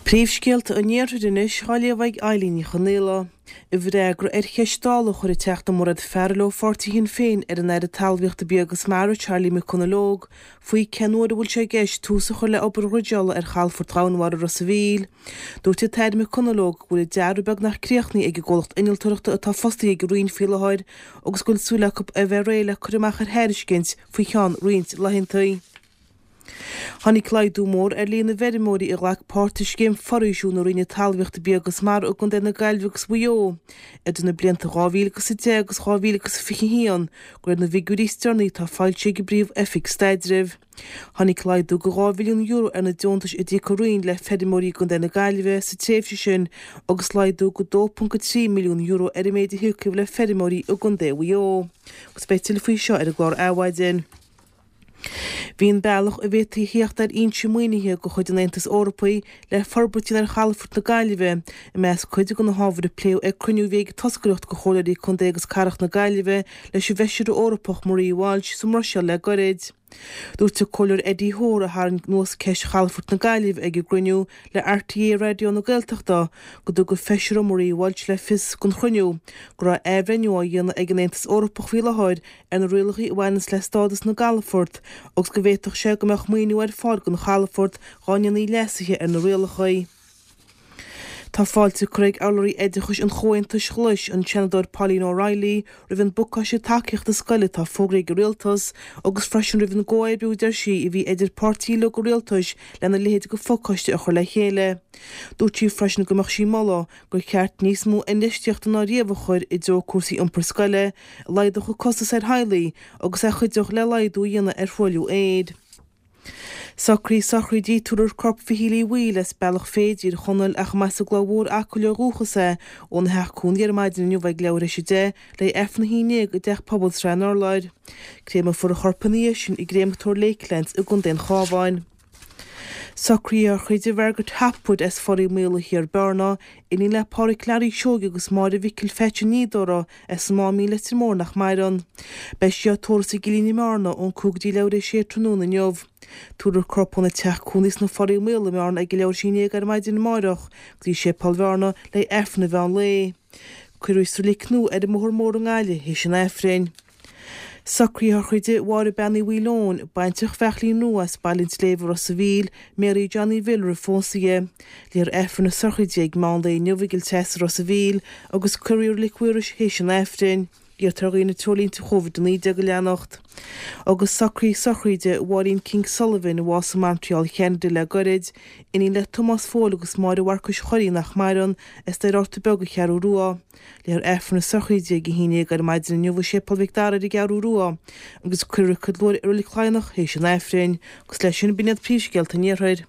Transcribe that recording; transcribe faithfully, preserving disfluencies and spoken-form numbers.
Príomhscéalta an Iarthair anois á léamh ag Eilín Ní Chonaola. I bhfreagra ar cheist Dála a chuir an Teachta Mairéad Farrell ó pháirtí Shinn Féin ar an Aire Talmhaíochta Bia agus Mara Charlie McConalogue faoi cén uair a bhfuil sé i gceist tús a chur le obair dhruideála ar chalafort Dhomhanmhara Ros a' Mhíl. Dúirt an tAire McConalogue go bhfuil an dearadh beagnach críochnaithe ag an gcomhlacht innealtóireachta atá fostaithe ag an Roinn faoi láthair agus go bhfuil súil acu a bheith réidh le cur amach ar thairiscint faoi cheann roinnt laethanta. Tháinig laghdú mór ar líon na bhfeirmeoirí a ghlac páirt i scéim foraoisiú na Roinne Talmhaíochta Bia agus Mara i gContae na Gaillimhe agus Mhaigh Eo idir na blianta dhá mhíle agus a deich agus dhá mhíle agus fiche a haon, de réir na bhfigiúirí is deireanaí atá foilsithe ag an bPríomh-Oifig Staidrimh. Tháinig laghdú de dhá mhilliún euro ar na deontais a d'íoc an Roinn le feirmeoirí i gContae na Gaillimhe sa tréimhse sin agus laghdú de dó ponc a trí milliún euro ar an méid a híocadh le feirmeoirí i gContae Mhaigh Eo. Agus beidh tuilleadh faoi seo ar an gclár Adhmhaidin. Bhí an bealach a bhféadfaí a theacht ar fhoinse maoinithe de chuid an Aontais Eorpaigh le forbairt a dhéanamh ar chalafort na Gaillimhe i measc cuid de na hábhair a pléadh ag cruinniú a bhí ag toscaireacht de chomhairleoirí contae agus cathrach na Gaillimhe leis an bhFeisire Eorpach Maria Walsh sa mBruiséil le gairid. Dúirt an Comhairleoir Eddie Hoare a tharraing anuas ceist chalafort na Gaillimhe ag an gcruinniú le RTÉ Raidió na Gaeltachta go dtug an Feisire Maria Walsh le fios don chruinniú go raibh athbhreithniú á dhéanamh ag an Aontas Eorpach faoi láthair ar na rialacha a bhaineanns le stádas na gcalafort agus go bhféadfadh sé go mbeadh maoiniú ar fáil don chalafort dá ndéanfaí leasuithe ar na rialacha. Tá fáilte curtha ag urlabhraí oideachais an Chomhaontais Ghlais, an Seanadóir Pauline O'Reilly, roimh an bpacáiste tacaíochta scoile atá fógraithe ag an Rialtas agus freisin roimh an gcomhoibriú, a deir sí, a bhí idir páirtithe uilig an Rialtais lena leithéid de phacáiste a chur le chéile. Dúirt sí freisin go mbeadh sí ag moladh gur cheart níos mó infheistíochta ná riamh a chur i dtreo cúrsaí iompair scoile, a laghdódh an costas ar theaghlaigh agus a chuideodh le laghdú a dhéanamh ar thruailliú aeir. Socruithe sochraide Tabharfar corp Mhichíl Uí Bhaoill as Bealach Féich i dTír Chonaill ach mba as an gCloich Mhór Acaill ó dhúchas é óna theach cónaí ar maidin inniu ag leathuair théis a deich le haghaidh Aifreann a haon déag i dTeach Pobail Srath an Urláir. Créamfar a chorp ina dhiaidh sin i gCréamatóir Lakelands i gContae an Chabháin. Socruithe sochraide Mhargaret Hopwood as Foraigh Maola Thiar, Bearna, iníon le Pádhraic Learaí Seoighe agus Máire Mhicil Pheaits an Fhíodóra as an Máimín Leitir Móir nach maireann. Beidh sí á tórramh sa gCillín i mBearna ón cúig go dtí leathuair théis a sé tráthnóna inniu. Tabharfar a corp óna teach cónaí sna Foraigh Maola i mBearna ag a leathuair théis a haon déag ar maidin amáireach go dtí Séipéal Bhearna le haghaidh Aifreann an mheán lae. Cuirfear í sa reilig nua ar an mBóthar Mór i nGaillimh théis an Aifrinn. Socruithe sochraide Mháire Bean Uí Mhaoileoin, baintreach Bheachlín Rua as Baile an tSléibhe, Ros a' Mhíl, Mary Johnny Bhill roimh phósadh di. Léifear Aifreann na sochraide ag meán lae inniu i gCill Treasa, Ros a' Mhíl, agus cuirfear í i Reilig Mhaorais théis an Aifrinn. Iarrtar ar dhaoine treoirlínte Covid a naoi déag a leanacht. Agus socruithe sochraide Mháirín King Sullivan, a bhásaigh i Montreal Cheanada le gairid, iníon le Tomás Phóil agus Máire Mharcais Chorraí nach maireann, as Doire Fhátha Beag, An Cheathrú Rua. Léifear Aifreann na sochraide ag a haon déag ar maidin inniu i Séipéal Mhic Dara ar an gCeathrú Rua agus cuirfear í i reilig Laighneach théis an Aifrinn. Agus leis sin, b'in iad príomhscéalta an Iarthair.